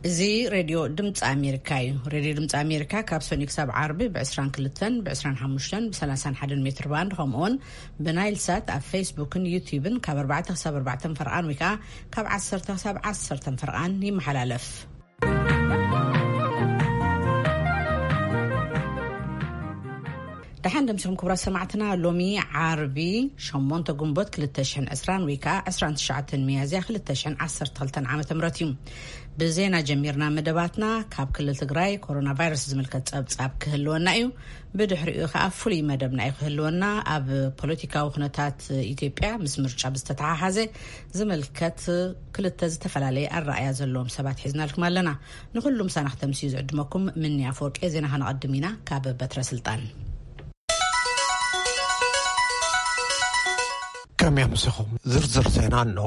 እዚ ሬድዮ ድምፂ ኣሜሪካ እዩ። ሬድዮ ድምፂ ኣሜሪካ ካብ ሰኑይ ክሳብ ዓርቢ ብ22፣ ብ25፣ ብ31 ሜትር ባንድ፣ ከምኡውን ብናይል ሳት ኣብ ፌስቡክን ዩቲዩብን ካብ ኣርባዕተ ክሳብ ኣርባዕተ ፈርቓን ወይ ከዓ ካብ ዓሰርተ ክሳብ ዓሰርተ ፈርቓን ይመሓላለፍ። ደሓን ደምሲኹም ክቡራት ሰማዕትና። ሎሚ ዓርቢ ሸሞንተ ግንቦት ክልተ ሽሕን ዕስራን ወይ ከዓ ዕስራን ትሽዓተን ሚያዝያ ክልተ ሽሕን ዓሰርተ ክልተን ዓመተ ምህረት እዩ። ብዜና ጀሚርና መደባትና። ካብ ክልል ትግራይ ኮሮና ቫይረስ ዝምልከት ጸብጻብ ክህልወና እዩ። ብድሕሪኡ ከዓ ፍሉይ መደብና እዩ ክህልወና። ኣብ ፖለቲካዊ ኩነታት ኢትዮጵያ ምስ ምርጫ ብዝተተሓሓዘ ዝምልከት ክልተ ዝተፈላለየ ኣረኣያ ዘለዎም ሰባት ሒዝናልኩም ኣለና። ንኹሉ ምሳና ክተምስዩ ዝዕድመኩም ምኒ ኣፈወርቂ። ዜና ከነቐድም ኢና ካብ በትረ ስልጣን። ከመይ ኣምሲኹም? ዝርዝር ዜና ኣሎ።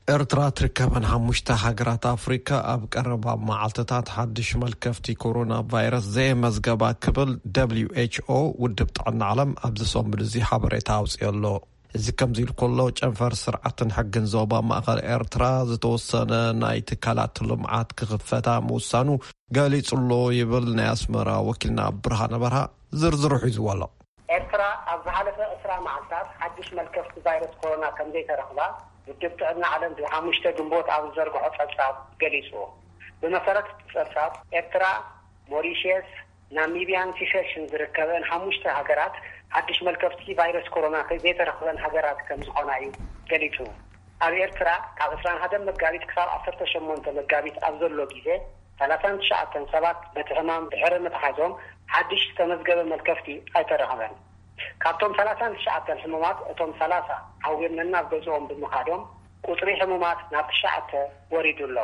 ኤርትራ ትርከበን ሓሙሽተ ሃገራት ኣፍሪካ ኣብ ቀረባ መዓልትታት ሓድሽ መልከፍቲ ኮሮና ቫይረስ ዘየመዝገባ ክብል ደብሊው ኤች ኦ፣ ውድብ ጥዕና ዓለም፣ ኣብዚ ሰሙን እዚ ሓበሬታ ኣውፅኦ ኣሎ። እዚ ከምዚ ኢሉ ከሎ፣ ጨንፈር ስርዓትን ሕግን ዞባ ማእኸል ኤርትራ ዝተወሰነ ናይ ትካላት ልምዓት ክኽፈታ ምውሳኑ ገሊጹ ኣሎ ይብል ናይ ኣስመራ ወኪልና ብርሃነ በርሃ። ዝርዝሩ ሒዝዎ ኣሎ። ኤርትራ ኣብ ዝሓለፈ ዕስራ መዓልታት ሓድሽ መልከፍቲ ቫይረስ ኮሮና ከም ዘይተረኽባ ውድብ ጥዕና ዓለም ብሓሙሽተ ግንቦት ኣብ ዝዘርግሖ ጸብጻብ ገሊጹ። ብመሰረት እቲ ጸብጻብ፣ ኤርትራ፣ ሞሪሽየስ፣ ናሚቢያን ሲሸልስን ዝርከበን ሓሙሽተ ሃገራት ሓድሽ መልከፍቲ ቫይረስ ኮሮና ከይዘይተረኽበን ሃገራት ከም ዝኾና እዩ ገሊጹ። ኣብ ኤርትራ ካብ ዕስራን ሓደን መጋቢት ክሳብ ዓሰርተ ሸሞንተ መጋቢት ኣብ ዘሎ ግዜ ሰላሳን ትሽዓተን ሰባት በቲ ሕማም ድሕሪ ምትሓዞም ሓድሽ ዝተመዝገበ መልከፍቲ ኣይተረኽበን። ካብቶም ሰላሳን ትሽዓተን ሕሙማት እቶም ሰላሳ ሓዊርና ናብ ገዝኦም ብምኻዶም ቁጽሪ ሕሙማት ናብ ትሽዓተ ወሪዱ ኣሎ።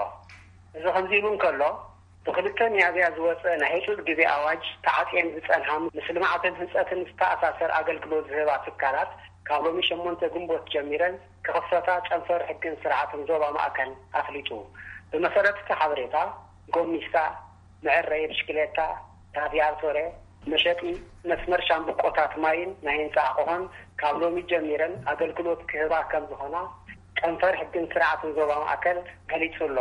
እዚ ከምዚ ኢሉ እንከሎ፣ ብክልተ ሚያዝያ ዝወጸ ናይ ህጹጽ ግዜ ኣዋጅ ተዓጽየን ዝጸንሓ ምስ ልምዓትን ህንጸትን ዝተኣሳሰር ኣገልግሎት ዝህባ ትካላት ካብ ሎሚ ሸሞንተ ግንቦት ጀሚረን ክኽፈታ ጨንፈር ሕግን ስርዓትን ዞባ ማእከል ኣፍሊጡ። ብመሰረት እቲ ሓበሬታ፣ ጎሚስታ፣ መዐረዪ ብሽክሌታ፣ ራዲያቶሬ፣ መሸጢ መስመር ሻምብቆታት ማይን ናይ ህንጻ ኣቕሖን ካብ ሎሚ ጀሚረን ኣገልግሎት ክህባ ከም ዝኾና ጨንፈር ሕግን ስርዓትን ዞባ ማእከል ገሊጹ ኣሎ።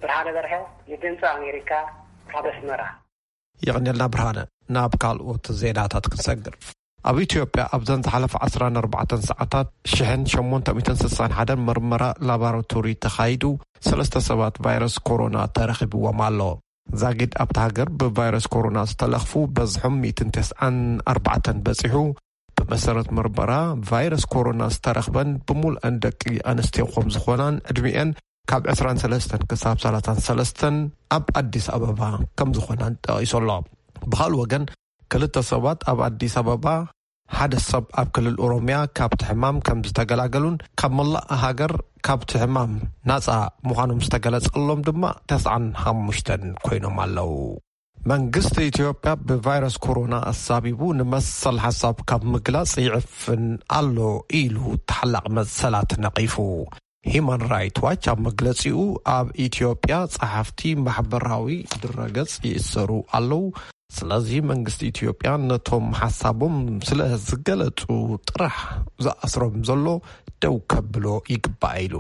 ብርሃነ በርሀ፣ ንድምፂ ኣሜሪካ፣ ካብ ኣስመራ። የቐንየልና ብርሃነ። ናብ ካልኦት ዜናታት ክንሰግር። ኣብ ኢትዮጵያ ኣብዘን ዝሓለፈ ዓሰርተ ኣርባዕተ ሰዓታት ሽሕን ሸሞንተ ሚእትን ስሳን ሓደን ምርመራ ላቦራቶሪ ተኻይዱ፣ ሰለስተ ሰባት ቫይረስ ኮሮና ተረኺብዎም ኣሎ። ዛጊድ ኣብታ ሃገር ብቫይረስ ኮሮና ዝተለኽፉ በዝሖም ሚእትን ተስዓን ኣርባዕተን በጺሑ። ብመሰረት ምርመራ፣ ቫይረስ ኮሮና ዝተረኽበን ብምሉአን ደቂ ኣንስትዮ ከም ዝኾናን ዕድሚኤን ካብ ዕስራን ሰለስተን ክሳብ ሰላሳን ሰለስተን ኣብ ኣዲስ ኣበባ ከም ዝኾናን ጠቒሱ ኣሎ። ብኻልእ ወገን፣ ክልተ ሰባት ኣብ ኣዲስ ኣበባ፣ ሓደ ሰብ ኣብ ክልል ኦሮሚያ ካብቲ ሕማም ከም ዝተገላገሉን ካብ መላእ ሃገር ካብቲ ሕማም ናጻ ምዃኖም ዝተገለጸሎም ድማ ተስዓን ሓሙሽተን ኮይኖም ኣለዉ። መንግስቲ ኢትዮጵያ ብቫይረስ ኮሮና ኣሳቢቡ ንመሰል ሓሳብ ካብ ምግላጽ ይዕፍን ኣሎ ኢሉ ተሓላቒ መሰላት ነቒፉ። ሂማን ራይት ዋች ኣብ መግለጺኡ፣ ኣብ ኢትዮጵያ ጸሓፍቲ፣ ማሕበራዊ ድረገጽ ይእሰሩ ኣለዉ። ስለዚ መንግስቲ ኢትዮጵያ ነቶም ሓሳቦም ስለ ዝገለጹ ጥራሕ ዝኣስሮም ዘሎ ደው ከብሎ ይግባእ ኢሉ።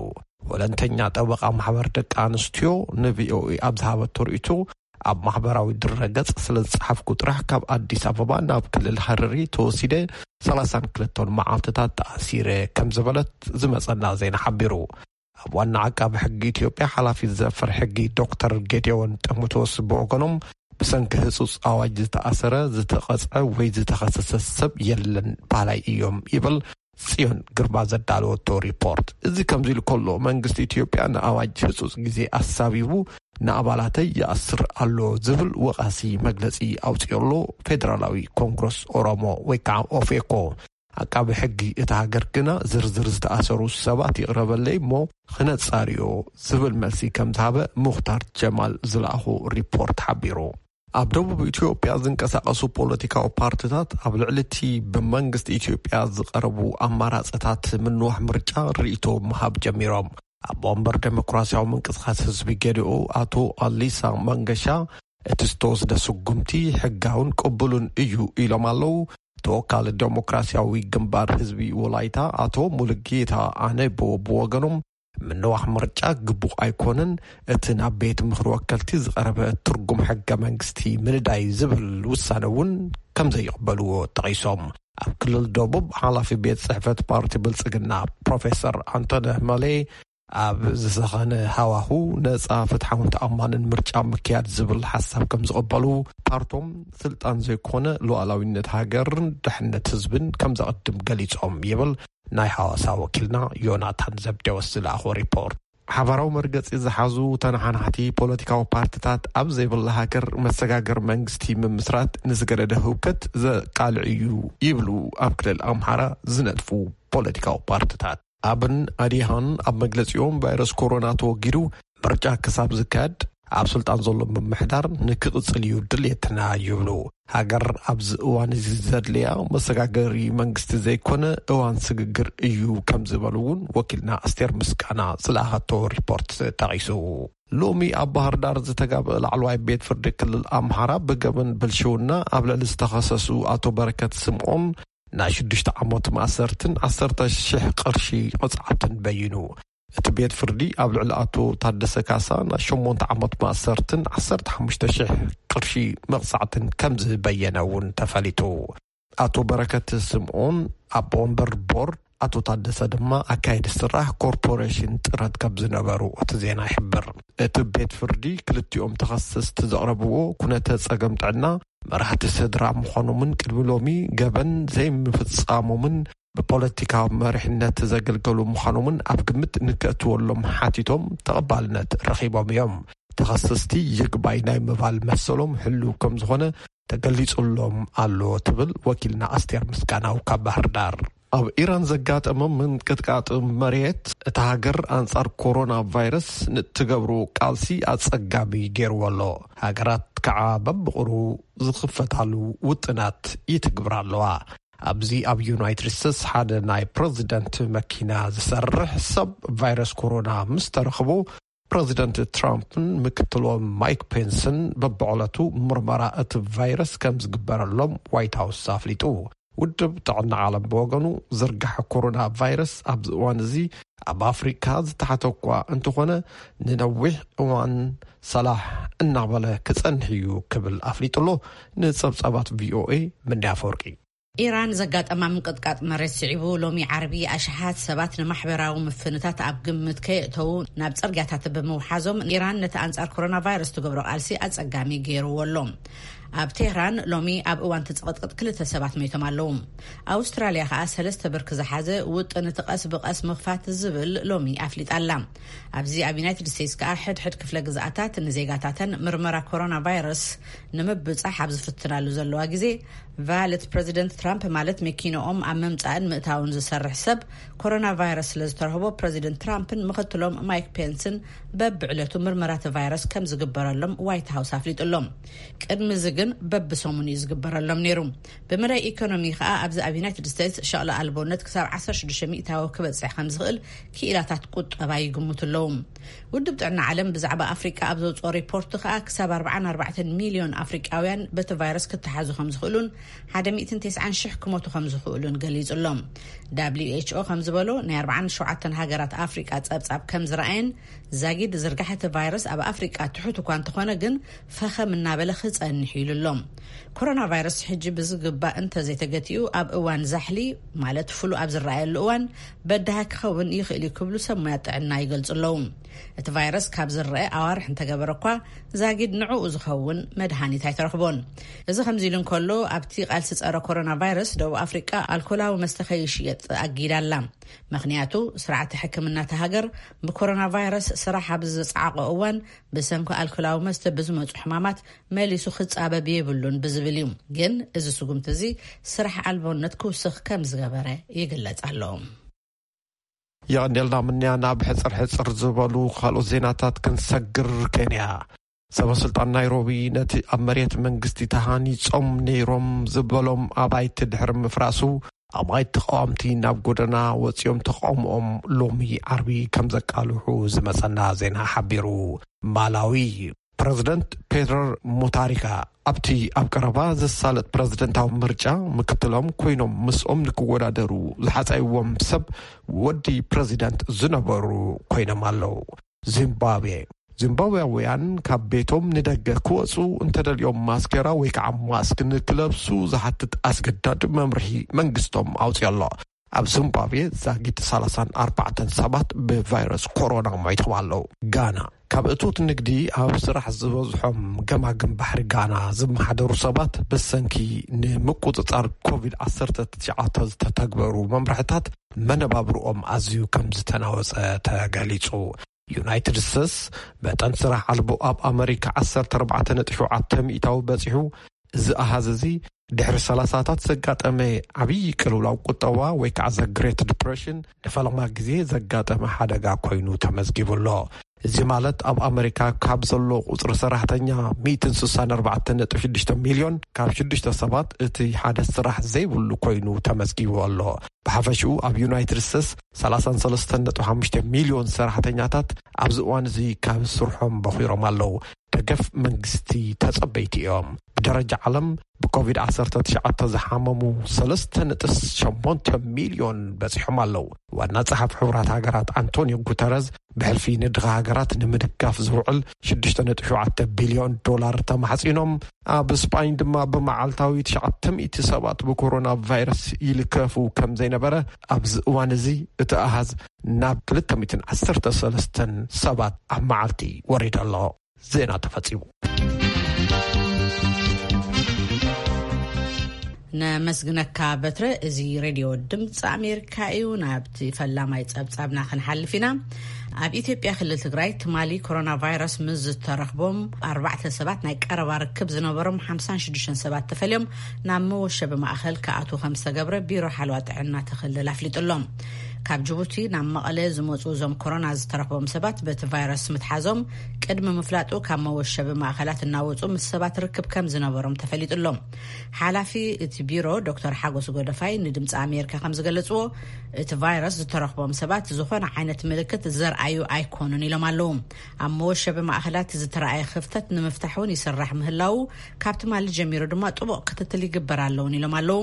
ወለንተኛ ጠበቓ ማሕበር ደቂ ኣንስትዮ ንቪኦኤ ኣብ ዝሃበቶ ርእይቶ፣ ኣብ ማሕበራዊ ድረገጽ ስለ ዝጸሓፍኩ ጥራሕ ካብ ኣዲስ ኣበባ ናብ ክልል ሃረሪ ተወሲደ ሰላሳን ክልተን መዓልትታት ተኣሲረ ከም ዝበለት ዝመጸና ዜና ሓቢሩ። ኣብ ዋና ዓቃቢ ሕጊ ኢትዮጵያ ሓላፊ ዘፈር ሕጊ ዶክተር ጌዲዮን ጢሞቴዎስ ብወገኖም፣ ብሰንኪ ህጹጽ ኣዋጅ ዝተኣሰረ፣ ዝተቐጽዐ ወይ ዝተኸሰሰ ሰብ የለን፣ ባህላይ እዮም ይብል ጽዮን ግርማ ዘዳለወቶ ሪፖርት። እዚ ከምዚ ኢሉ ከሎ፣ መንግስቲ ኢትዮጵያ ንኣዋጅ ህጹጽ ግዜ ኣሳቢቡ ንኣባላተይ ይኣስር ኣሎ ዝብል ወቓሲ መግለጺ ኣውጺኡ ኣሎ። ፌደራላዊ ኮንግረስ ኦሮሞ ወይ ከዓ ኦፌኮ፣ ዓቃቢ ሕጊ እታ ሃገር ግና ዝርዝር ዝተኣሰሩ ሰባት ይቕረበለይ እሞ ክነጻርዮ ዝብል መልሲ ከም ዝሃበ ሙኽታር ጀማል ዝለኣኹ ሪፖርት ሓቢሩ። ኣብ ደቡብ ኢትዮጵያ ዝንቀሳቐሱ ፖለቲካዊ ፓርቲታት ኣብ ልዕሊ እቲ ብመንግስቲ ኢትዮጵያ ዝቐረቡ ኣማራፅታት ምንዋሕ ምርጫ ርእይቶ ምሃብ ጀሚሮም። ኣቦ ወንበር ዴሞክራሲያዊ ምንቅስቃስ ህዝቢ ገዲኦ ኣቶ ኣሊሳ መንገሻ፣ እቲ ዝተወስደ ስጉምቲ ሕጋውን ቅቡልን እዩ ኢሎም ኣለዉ። ተወካሊ ዴሞክራሲያዊ ግንባር ህዝቢ ወላይታ ኣቶ ሙሉጌታ ኣነቦ ብወገኖም፣ ምንዋሕ ምርጫ ግቡእ ኣይኮነን፣ እቲ ናብ ቤት ምኽሪ ወከልቲ ዝቐረበ ትርጉም ሕገ መንግስቲ ምንዳይ ዝብል ውሳነ እውን ከም ዘይቕበልዎ ጠቒሶም። ኣብ ክልል ደቡብ ሓላፊ ቤት ጽሕፈት ፓርቲ ብልጽግና ፕሮፌሰር ኣንቶንዮ መሌ ኣብ ዝሰኸነ ሃዋሁ ነጻ፣ ፍትሓውን ተኣማንን ምርጫ ምክያድ ዝብል ሓሳብ ከም ዝቕበሉ፣ ፓርቶም ስልጣን ዘይኮነ ሉዓላዊነት ሃገርን ድሕነት ህዝብን ከም ዘቐድም ገሊጾም ይብል ናይ ሓዋሳ ወኪልና ዮናታን ዘብዴዎስ ዝለኣኾ ሪፖርት። ሓባራዊ መርገጺ ዝሓዙ ተነሓናሕቲ ፖለቲካዊ ፓርትታት ኣብ ዘይብላ ሃገር መሰጋገር መንግስቲ ምምስራት ንዝገደደ ህውከት ዘቃልዕ እዩ ይብሉ ኣብ ክልል ኣምሓራ ዝነጥፉ ፖለቲካዊ ፓርትታት። ኣብን ኣዲሃን ኣብ መግለጺኦም ቫይረስ ኮሮና ተወጊዱ ምርጫ ክሳብ ዝካየድ ኣብ ስልጣን ዘሎ ምምሕዳር ንክቕጽል እዩ ድልየትና ይብሉ። ሃገር ኣብዚ እዋን እዚ ዘድልያ መሰጋገሪ መንግስቲ ዘይኮነ እዋን ስግግር እዩ ከም ዝበሉ እውን ወኪልና ኣስቴር ምስጋና ዝለኣኸቶ ሪፖርት ጠቒሱ። ሎሚ ኣብ ባህር ዳር ዝተጋብአ ላዕለዋይ ቤት ፍርዲ ክልል ኣምሓራ ብገበን ብልሽውና ኣብ ልዕሊ ዝተኸሰሱ ኣቶ በረከት ስምዖን ናይ ሽዱሽተ ዓመት ማእሰርትን ዓሰርተ ሺሕ ቅርሺ ቅፅዓትን በይኑ። እቲ ቤት ፍርዲ ኣብ ልዕሊ ኣቶ ታደሰ ካሳ ናይ ሸሞንተ ዓመት ማእሰርትን ዓሰርተ ሓሙሽተ ሺሕ ቅርሺ መቕፃዕትን ከም ዝበየነ እውን ተፈሊጡ። ኣቶ በረከት ስምዖን ኣቦ ወንበር ቦርድ፣ ኣቶ ታደሰ ድማ ኣካየዲ ስራሕ ኮርፖሬሽን ጥረት ከም ዝነበሩ እቲ ዜና ይሕብር። እቲ ቤት ፍርዲ ክልቲኦም ተኸሰስቲ ዘቕረብዎ ኩነተ ጸገም ጥዕና መራሕቲ ስድራ ምዃኖምን ቅድሚ ሎሚ ገበን ዘይምፍጻሞምን ብፖለቲካዊ መሪሕነት ዘገልገሉ ምዃኖምን ኣብ ግምት ንከእትወሎም ሓቲቶም ተቐባልነት ረኺቦም እዮም። ተኸሰስቲ ይግባይ ናይ ምባል መሰሎም ህልው ከም ዝኾነ ተገሊጹሎም ኣሎ ትብል ወኪልና ኣስቴር ምስጋናው ካብ ባህር ዳር። ኣብ ኢራን ዘጋጠመ ምንቅጥቃጥ መሬት እታ ሃገር ኣንጻር ኮሮና ቫይረስ ንእትገብሮ ቃልሲ ኣጸጋሚ ገይርዎ ኣሎ። ሃገራት ከዓ በብቕሩ ዝኽፈታሉ ውጥናት ይትግብራ ኣለዋ። ኣብዚ ኣብ ዩናይትድ ስቴትስ ሓደ ናይ ፕረዚደንት መኪና ዝሰርሕ ሰብ ቫይረስ ኮሮና ምስ ተረኽቦ፣ ፕረዚደንት ትራምፕን ምክትሎም ማይክ ፔንስን በብዕለቱ ምርመራ እቲ ቫይረስ ከም ዝግበረሎም ዋይት ሃውስ ኣፍሊጡ። ውድብ ጥዕና ዓለም ብወገኑ፣ ዝርጋሐ ኮሮና ቫይረስ ኣብዚ እዋን እዚ ኣብ ኣፍሪካ ዝተሓተ እኳ እንተኾነ፣ ንነዊሕ እዋን ሰላሕ እናበለ ክጸንሕ እዩ ክብል ኣፍሊጡ ኣሎ። ንጸብጻባት ቪኦኤ፣ ምንዲ ኣፈወርቂ። ኢራን ዘጋጠማ ምንቅጥቃጥ መሬት ስዒቡ፣ ሎሚ ዓርቢ ኣሽሓት ሰባት ንማሕበራዊ ምፍንታት ኣብ ግምት ከየእተዉ ናብ ጽርግያታት ብምውሓዞም፣ ኢራን ነቲ ኣንጻር ኮሮና ቫይረስ ትገብሮ ቃልሲ ኣጸጋሚ ገይርዎ ኣሎ። ኣብ ቴህራን ሎሚ ኣብ እዋን እቲ ጽቕጥቅጥ ክልተ ሰባት ሞይቶም ኣለዉ። ኣውስትራልያ ከኣ ሰለስተ ብርኪ ዝሓዘ ውጥን እቲ ቀስ ብቐስ ምኽፋት ዝብል ሎሚ ኣፍሊጣ ኣላ። ኣብዚ ኣብ ዩናይትድ ስቴትስ ከኣ ሕድሕድ ክፍለ ግዝኣታት ንዜጋታተን ምርመራ ኮሮና ቫይረስ ንምብጻሕ ኣብ ዝፍትናሉ ዘለዋ ግዜ፣ ቫለት ፕረዚደንት ትራምፕ ማለት መኪንኦም ኣብ ምምጻእን ምእታውን ዝሰርሕ ሰብ ኮሮና ቫይረስ ስለ ዝተረኽቦ፣ ፕረዚደንት ትራምፕን ምኽትሎም ማይክ ፔንስን በብዕለቱ ምርመራ እቲ ቫይረስ ከም ዝግበረሎም ዋይት ሃውስ ኣፍሊጡ ኣሎ። ቅድሚ እዚ ግን በብሰሙን እዩ ዝግበረሎም ነይሩ። ብመዳይ ኢኮኖሚ ከኣ ኣብዚ ኣብ ዩናይትድ ስቴትስ ሸቕሊ ኣልቦነት ክሳብ ዓሰርተ ሽዱሽተ ሚእታዊ ክበጽሕ ከም ዝኽእል ክኢላታት ቁጠባ ይግምቱ ኣለዉ። ውድብ ጥዕና ዓለም ብዛዕባ ኣፍሪቃ ኣብ ዘውፅኦ ሪፖርት ከኣ ክሳብ ኣርባዓን ኣርባዕተን ሚልዮን ኣፍሪቃውያን በቲ ቫይረስ ክተሓዙ ከም ዝኽእሉን ሓደ ሚእትን ተስዓን ሽሕ ክሞቱ ከም ዝኽእሉን ገሊጹ ኣሎ። ደብሊው ኤች ኦ ከም ዝበሎ ናይ ኣርባዓን ሸውዓተን ሃገራት ኣፍሪቃ ጸብጻብ ከም ዝረኣየን ዛጊድ ዝርጋሐ እቲ ቫይረስ ኣብ ኣፍሪቃ ትሑት እኳ እንተኾነ ግን ፈኸም እናበለ ክጸንሕ ኢሉ ኣሎ። ኮሮና ቫይረስ ሕጂ ብዝግባእ እንተዘይተገቲኡ ኣብ እዋን ዛሕሊ ማለት ፍሉ ኣብ ዝረኣየሉ እዋን በዳሂ ክኸውን ይኽእል እዩ ክብሉ ሰብ ሞያ ጥዕና ይገልጹ ኣለዉ። እቲ ቫይረስ ካብ ዝረአ ኣዋርሕ እንተገበረ እኳ ዛጊድ ንዕኡ ዝኸውን መድሃኒት ኣይተረኽቦን። እዚ ከምዚ ኢሉ እንከሎ ኣብቲ ቃልሲ ጸረ ኮሮና ቫይረስ ደቡብ ኣፍሪቃ ኣልኮላዊ መስተ ከይሽየጥ ኣጊዳ ኣላ። ምኽንያቱ ስርዓተ ሕክምና እታ ሃገር ብኮሮና ቫይረስ ስራሕ ኣብ ዝጸዓቖ እዋን ብሰንኪ ኣልኮላዊ መስተ ብዝመጹ ሕማማት መሊሱ ክጻበብ የብሉን ብዝብል እዩ። ግን እዚ ስጉምቲ እዚ ስራሕ ኣልቦነት ክውስኽ ከም ዝገበረ ይግለጽ ኣሎ። የቐንየልና ምንያ። ናብ ሕጽር ሕጽር ዝበሉ ካልኦት ዜናታት ክንሰግር። ኬንያ ሰበ ስልጣን ናይሮቢ ነቲ ኣብ መሬት መንግስቲ ተሃኒጾም ነይሮም ዝበሎም ኣባይቲ ድሕሪ ምፍራሱ ኣባይቲ ተቃወምቲ ናብ ጎደና ወጺኦም ተቃውሞኦም ሎሚ ዓርቢ ከም ዘቃልሑ ዝመጸና ዜና ሓቢሩ። ማላዊ ፕረዚደንት ፔተር ሙታሪካ ኣብቲ ኣብ ቀረባ ዘሳለጥ ፕረዚደንታዊ ምርጫ ምክትሎም ኮይኖም ምስኦም ንክወዳደሩ ዝሓጻይዎም ሰብ ወዲ ፕረዚደንት ዝነበሩ ኮይኖም ኣለዉ። ዚምባብዌ። ዚምባብያውያን ካብ ቤቶም ንደገ ክወጹ እንተደልዮም ማስኬራ ወይ ከዓ ማስክ ንክለብሱ ዝሓትት ኣስገዳድ መምርሒ መንግስቶም ኣውፅኦ ኣሎ። ኣብ ዚምባብዌ ዛጊት ሰላሳን ኣርባዕተን ሰባት ብቫይረስ ኮሮና ሞይቶም ኣለዉ። ጋና። ካብ እቶት ንግዲ ኣብ ስራሕ ዝበዝሖም ገማግም ባሕሪ ጋና ዝመሓደሩ ሰባት ብሰንኪ ንምቁፅፃር ኮቪድ ዓሰርተ ትሽዓተ ዝተተግበሩ መምርሕታት መነባብርኦም ኣዝዩ ከም ዝተናወፀ ተገሊፁ። ዩናይትድ ስቴትስ መጠን ስራሕ ኣልቦ ኣብ ኣመሪካ ዓሰርተ ኣርባዕተ ነጥቢ ሸውዓተ ሚእታዊ በፂሑ። እዚ ኣሃዝ እዚ ድሕሪ ሰላሳታት ዘጋጠመ ዓብዪ ቅልውላው ቁጠባ ወይ ከዓ ዘ ግሬት ዲፕሬሽን ንፈለማ ግዜ ዘጋጠመ ሓደጋ ኮይኑ ተመዝጊቡ ኣሎ። እዚ ማለት ኣብ ኣመሪካ ካብ ዘሎ ቁፅሪ ሰራሕተኛ ሚእትን ስሳን ኣርባዕተን ነጥቢ ሽዱሽተ ሚልዮን ካብ ሽዱሽተ ሰባት እቲ ሓደ ስራሕ ዘይብሉ ኮይኑ ተመዝጊቡ ኣሎ። ብሓፈሽኡ ኣብ ዩናይትድ ስቴትስ ሰላሳን ሰለስተን ነጥቢ ሓሙሽተ ሚልዮን ሰራሕተኛታት ኣብዚ እዋን እዚ ካብ ስርሖም በኺሮም ኣለዉ። ደገፍ መንግስቲ ተጸበይቲ እዮም። ብደረጃ ዓለም ብኮቪድ ዓሰርተ ትሽዓተ ዝሓመሙ ሰለስተ ነጥቢ ሸሞንተ ሚልዮን በጺሖም ኣለዉ። ዋና ጸሓፊ ሕቡራት ሃገራት ኣንቶኒዮ ጉተረዝ ብሕልፊ ንድኻ ሃገራት ንምድጋፍ ዝውዕል ሽዱሽተ ነጥቢ ሸውዓተ ቢልዮን ዶላር ተማሕጺኖም፣ ኣብ ስጳኝ ድማ ብመዓልታዊ ትሽዓተ ሚእቲ ሰባት ብኮሮና ቫይረስ ይልከፉ ከም ዘይነበረ፣ ኣብዚ እዋን እዚ እቲ ኣሃዝ ናብ ክልተ ሚእትን ዓሰርተ ሰለስተን ሰባት ኣብ መዓልቲ ወሪዱ ኣሎ። ዜና ተፈጺሙ። ነመስግነካ በትረ። እዚ ሬድዮ ድምፂ ኣሜሪካ እዩ። ናብቲ ፈላማይ ጸብጻብና ክንሓልፍ ኢና። ኣብ ኢትዮጵያ ክልል ትግራይ ትማሊ ኮሮና ቫይረስ ምስ ዝተረኽቦም ኣርባዕተ ሰባት ናይ ቀረባ ርክብ ዝነበሮም ሓምሳን ሽዱሽተን ሰባት ተፈልዮም ናብ መወሸቢ ማእኸል ክኣትዉ ከም ዝተገብረ ቢሮ ሓለዋ ጥዕና እቲ ክልል ኣፍሊጡ ኣሎ። ካብ ጅቡቲ ናብ መቐለ ዝመፁ እዞም ኮሮና ዝተረኽቦም ሰባት በቲ ቫይረስ ምትሓዞም ቅድሚ ምፍላጡ ካብ መወሸቢ ማእኸላት እናወፁ ምስ ሰባት ርክብ ከም ዝነበሮም ተፈሊጡ ኣሎ። ሓላፊ እቲ ቢሮ ዶክተር ሓጎስ ጎደፋይ ንድምፂ ኣሜሪካ ከም ዝገለፅዎ፣ እቲ ቫይረስ ዝተረኽቦም ሰባት ዝኾነ ዓይነት ምልክት ዘርኣዩ ኣይኮኑን ኢሎም ኣለዉ። ኣብ መወሸቢ ማእኸላት ዝተረኣየ ክፍተት ንምፍታሕ እውን ይስራሕ ምህላዉ፣ ካብ ትማሊ ጀሚሩ ድማ ጥቡቕ ክትትል ይግበር ኣለውን ኢሎም ኣለዉ።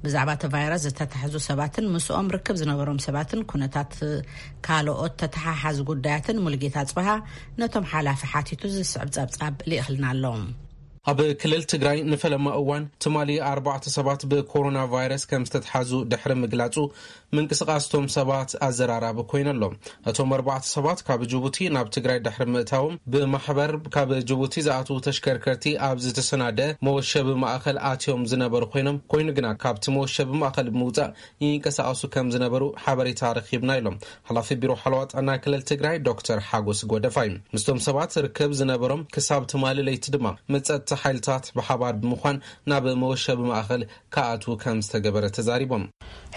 ብዛዕባ እቲ ቫይረስ ዝተታሕዙ ሰባትን ምስኦም ርክብ ዝነበሮም ሰባትን ኩነታት ካልኦት ተተሓሓዚ ጉዳያትን ሙሉጌታ ኣጽበሃ ነቶም ሓላፊ ሓቲቱ ዝስዕብ ጸብጻብ ልኢኽልና ኣሎ። ኣብ ክልል ትግራይ ንፈለማ እዋን ትማሊ ኣርባዕተ ሰባት ብኮሮና ቫይረስ ከም ዝተትሓዙ ድሕሪ ምግላጹ፣ ምንቅስቓስ እቶም ሰባት ኣዘራራቢ ኮይኑ ኣሎ። እቶም ኣርባዕተ ሰባት ካብ ጅቡቲ ናብ ትግራይ ድሕሪ ምእታዎም፣ ብማሕበር ካብ ጅቡቲ ዝኣትዉ ተሽከርከርቲ ኣብ ዝተሰናደ መወሸቢ ማእኸል ኣትዮም ዝነበሩ ኮይኖም፣ ኮይኑ ግና ካብቲ መወሸቢ ማእኸል ብምውፃእ ይንቀሳቐሱ ከም ዝነበሩ ሓበሬታ ረኺብና ኢሎም ሓላፊ ቢሮ ሓለዋ ጥዕና ክልል ትግራይ ዶክተር ሓጎስ ጎደፋይ። ምስቶም ሰባት ርክብ ዝነበሮም ክሳብ ትማሊ ለይቲ ድማ ምስ ጸጥታ ሓይልታት ብሓባር ብምዃን ናብ መወሸቢ ማእኸል ክኣትዉ ከም ዝተገበረ ተዛሪቦም።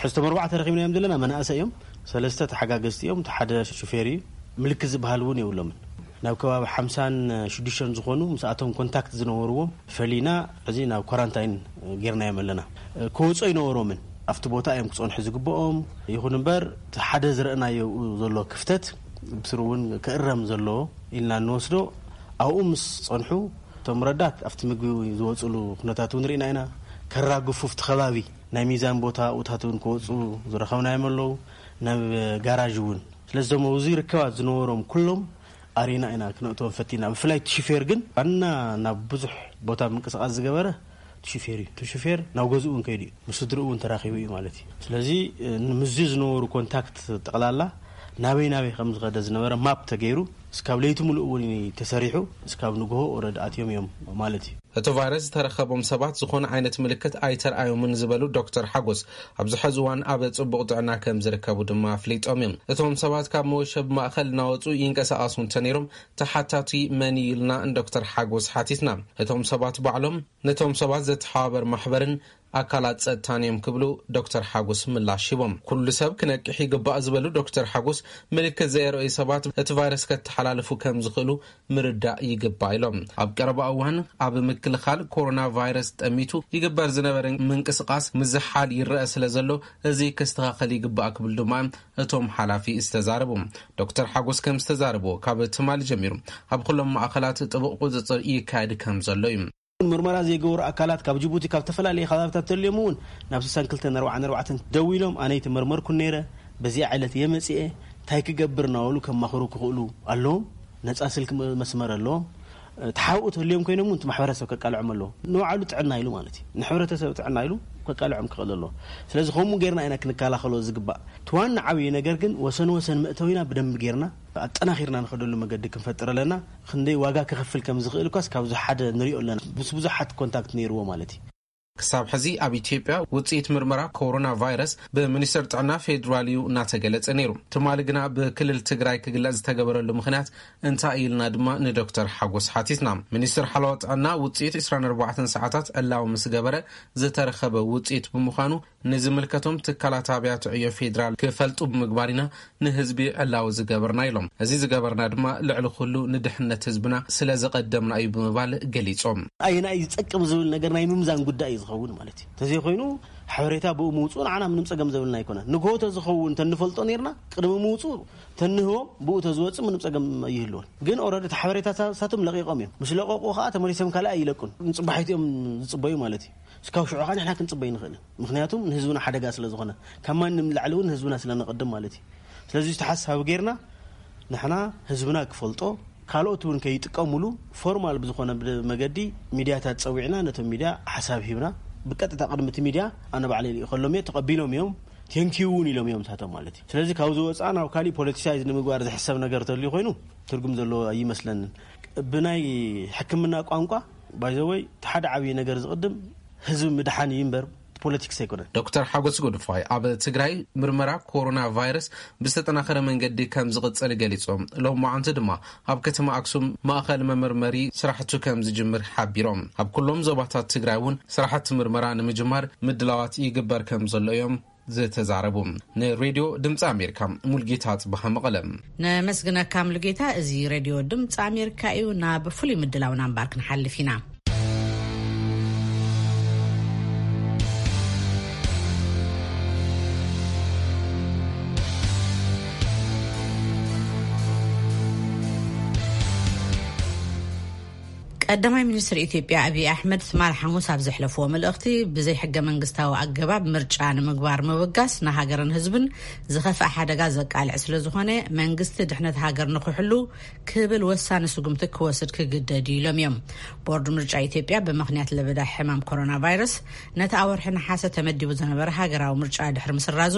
ሕዝቶም ኣርባዕተ ረኺብናዮም ዘለና መናእሰይ እዮም። ሰለስተ ተሓጋገዝቲ እዮም፣ እቲ ሓደ ሹፌር እዩ። ምልክት ዝበሃል እውን የብሎምን። ናብ ከባቢ ሓምሳን ሽዱሽተን ዝኾኑ ምስኣቶም ኮንታክት ዝነበርዎም ፈሊና፣ እዚ ናብ ኳራንታይን ጌርናዮም ኣለና። ክወፁ ኣይነበሮምን። ኣብቲ ቦታ እዮም ክፀንሑ ዝግብኦም። ይኹን እምበር፣ እቲ ሓደ ዝረእናዮ ዘሎ ክፍተት ብስሩ እውን ክእረም ዘለዎ ኢልና እንወስዶ፣ ኣብኡ ምስ ፀንሑ፣ እቶም ረዳት ኣብቲ ምግቢ ዝወፅሉ ኩነታት እውን ርኢና ኢና። ከራግፉ ኣብቲ ከባቢ ናይ ሚዛን ቦታ ኣብኡታት እውን ክወፁ ዝረኸብናዮም ኣለዉ። ናብ ጋራዥ እውን። ስለዚ እዞም ኣብዚ ርክባት ዝነበሮም ኩሎም ኣሪና ኢና ክነእትዎም ፈቲና። ብፍላይ እቲ ሹፌር ግን ዋና ናብ ብዙሕ ቦታ ምንቅስቓስ ዝገበረ እቲ ሹፌር እዩ። እቲ ሹፌር ናብ ገዝኡ እውን ከይዱ እዩ። ምስ ስድርኡ እውን ተራኺቡ እዩ ማለት እዩ። ስለዚ፣ እ፣ ምስዚ ዝነበሩ ኮንታክት ጠቕላላ ናበይ ናበይ ከም ዝኸደ ዝነበረ ማፕ ተገይሩ፣ እስካብ ለይቲ ምሉእ እውን ተሰሪሑ፣ እስካብ ንግሆ ኦረድ ኣትዮም እዮም ማለት እዩ። እቲ ቫይረስ ዝተረኸቦም ሰባት ዝኾነ ዓይነት ምልክት ኣይተርኣዮምን ዝበሉ ዶክተር ሓጎስ፣ ኣብዚ ሕዚ እዋን ኣብ ጽቡቕ ጥዕና ከም ዝርከቡ ድማ ኣፍሊጦም እዮም። እቶም ሰባት ካብ መወሸቢ ማእኸል እናወጹ ይንቀሳቐሱ እንተነይሮም፣ ተሓታቲ መን እዩ ኢልና ንዶክተር ሓጎስ ሓቲትና። እቶም ሰባት ባዕሎም ነቶም ሰባት ዘተሓባበር ማሕበርን ኣካላት ጸጥታን እዮም ክብሉ ዶክተር ሓጎስ ምላሽ ሂቦም። ኩሉ ሰብ ክነቅሕ ይግባእ ዝበሉ ዶክተር ሓጎስ፣ ምልክት ዘየርእዩ ሰባት እቲ ቫይረስ ከተሓላልፉ ከም ዝኽእሉ ምርዳእ ይግባእ ኢሎም። ኣብ ቀረባ እዋን ኣብ ምክልኻል ኮሮና ቫይረስ ጠሚቱ ይግበር ዝነበረ ምንቅስቓስ ምዝሓል ይረአ ስለ ዘሎ፣ እዚ ክስተኻኸል ይግባእ ክብል ድማ እቶም ሓላፊ ዝተዛረቡ። ዶክተር ሓጎስ ከም ዝተዛረቡ፣ ካብ ትማሊ ጀሚሩ ኣብ ኩሎም ማእኸላት ጥቡቕ ቁፅፅር ይካየድ ከም ዘሎ እዩ። ምርመራ ዘይገበሩ ኣካላት ካብ ጅቡቲ፣ ካብ ዝተፈላለዩ ከባብታት ተልዮም እውን ናብ ስሳን ክልተን ኣርባዓን ኣርባዕተን ደዊሎም፣ ኣነ ኣይተመርመርኩን ነይረ፣ በዚኣ ዕለት እየ መፂኤ፣ እንታይ ክገብር እናበሉ ከማኽሩ ክኽእሉ ኣለዎም። ነፃ ስልክ መስመር ኣለዎም። ተሓብኡ ተልዮም ኮይኖም እውን እቲ ማሕበረሰብ ከቃልዖም ኣለዎ። ንባዕሉ ጥዕና ኢሉ ማለት እዩ፣ ንሕብረተሰብ ጥዕና ኢሉ ከቃልዖም ክኽእል ኣለዎ። ስለዚ ከምኡ ጌርና ኢና ክንከላኸሎ ዝግባእ። እቲ ዋና ዓብዪ ነገር ግን ወሰን ወሰን መእተዊና ብደንብ ጌርና ኣጠናኺርና ንኸደሉ መገዲ ክንፈጥር ኣለና። ክንደይ ዋጋ ክኸፍል ከም ዝኽእል እኳስ ካብዚ ሓደ ንሪኦ ኣለና። ምስ ብዙሓት ኮንታክት ነይርዎ ማለት እዩ። ክሳብ ሕዚ ኣብ ኢትዮጵያ ውፅኢት ምርመራ ኮሮና ቫይረስ ብሚኒስትር ጥዕና ፌዴራል እዩ እናተገለጸ ነይሩ። ትማሊ ግና ብክልል ትግራይ ክግለጽ ዝተገበረሉ ምኽንያት እንታይ ኢልና ድማ ንዶክተር ሓጎስ ሓቲትና። ሚኒስትር ሓለዋ ጥዕና ውፅኢት ዕስራን ኣርባዕተን ሰዓታት ዕላዊ ምስ ገበረ ዝተረኸበ ውፅኢት ብምዃኑ ንዝምልከቶም ትካላት ኣብያተ ዕዮ ፌዴራል ክፈልጡ ብምግባር ኢና ንህዝቢ ዕላዊ ዝገበርና ኢሎም። እዚ ዝገበርና ድማ ልዕሊ ኩሉ ንድሕነት ህዝብና ስለ ዘቐደምና እዩ ብምባል ገሊጾም። ኣየናይ ዝጠቅም ዝብል ነገር ናይ ምምዛን ጉዳይ እዩ ዝኸውን ማለት እዩ። ተዘይኮይኑ ሓበሬታ ብኡ ምውፅኡ ንዓና ምንም ፀገም ዘብልና ኣይኮነን። ንግሆ ተዝኸውን ተንፈልጦ ነርና ቅድሚ ምውፅኡ ተንህቦም ብኡ ተዝወፅእ ምንም ፀገም ይህልዎን። ግን ኦረዲ እቲ ሓበሬታ ሳቶም ለቂቆም እዮም። ምስ ለቀቁ ከዓ ተመሊሶም ካልእ ኣይለቁን። ንፅባሒት እዮም ዝፅበዩ ማለት እዩ። እስካብ ሽዑ ከዓ ንሕና ክንፅበይ ንኽእል። ምኽንያቱም ንህዝብና ሓደጋ ስለ ዝኾነ፣ ካብ ማንም ንላዕሊ እውን ንህዝብና ስለ ነቐድም ማለት እዩ። ስለዚ ዝተሓሳቢ ጌርና ንሕና ህዝብና ክፈልጦ፣ ካልኦት እውን ከይጥቀሙሉ ፎርማል ብዝኾነ ብ-፣ መገዲ ሚድያታት ጸዊዕና ነቶም ሚድያ ሓሳብ ሂብና ብቀጥታ ቅድሚ እቲ ሚድያ ኣነ ባዕለይ ልኢኸሎም እየ፣ ተቐቢሎም እዮም፣ ቴንኪዩ እውን ኢሎም እዮም ንሳቶም ማለት እዩ። ስለዚ ካብዚ ወፃእ ናብ ካሊእ ፖለቲሳይዝ ንምግባር ዝሕሰብ ነገር ተልዩ ኮይኑ ትርጉም ዘለዎ ኣይመስለንን። ብናይ ሕክምና ቋንቋ ባይዘወይ እቲ ሓደ ዓብዪ ነገር ዝቕድም ህዝቢ ምድሓን እዩ እምበር ፖለቲክስ ኣይኮነን። ዶክተር ሓጎስ ጎድፋይ ኣብ ትግራይ ምርመራ ኮሮና ቫይረስ ብዝተጠናኸረ መንገዲ ከም ዝቕፅል ገሊፆም፣ ሎማዓንቲ ድማ ኣብ ከተማ ኣክሱም ማእኸል መመርመሪ ስራሕቱ ከም ዝጅምር ሓቢሮም። ኣብ ኩሎም ዞባታት ትግራይ እውን ስራሕቲ ምርመራ ንምጅማር ምድላዋት ይግበር ከም ዘሎ እዮም ዝተዛረቡ። ንሬድዮ ድምፂ ኣሜሪካ ሙልጌታ ጽባሃ መቐለ። ነመስግነካ ሙሉጌታ። እዚ ሬድዮ ድምፂ ኣሜሪካ እዩ። ናብ ፍሉይ ምድላውና እምባር ክንሓልፍ ኢና። ቀዳማይ ሚኒስትር ኢትዮጵያ ኣብይ ኣሕመድ ትማል ሓሙስ ኣብ ዘሕለፍዎ መልእኽቲ፣ ብዘይ ሕገ መንግስታዊ ኣገባብ ምርጫ ንምግባር ምብጋስ ንሃገርን ህዝብን ዝኸፍኣ ሓደጋ ዘቃልዕ ስለ ዝኾነ፣ መንግስቲ ድሕነት ሃገር ንክሕሉ ክብል ወሳኒ ስጉምቲ ክወስድ ክግደድ እዩ ኢሎም እዮም። ቦርድ ምርጫ ኢትዮጵያ ብምኽንያት ለበዳ ሕማም ኮሮና ቫይረስ ነቲ ኣወርሒ ነሓሰ ተመዲቡ ዝነበረ ሃገራዊ ምርጫ ድሕሪ ምስራዙ፣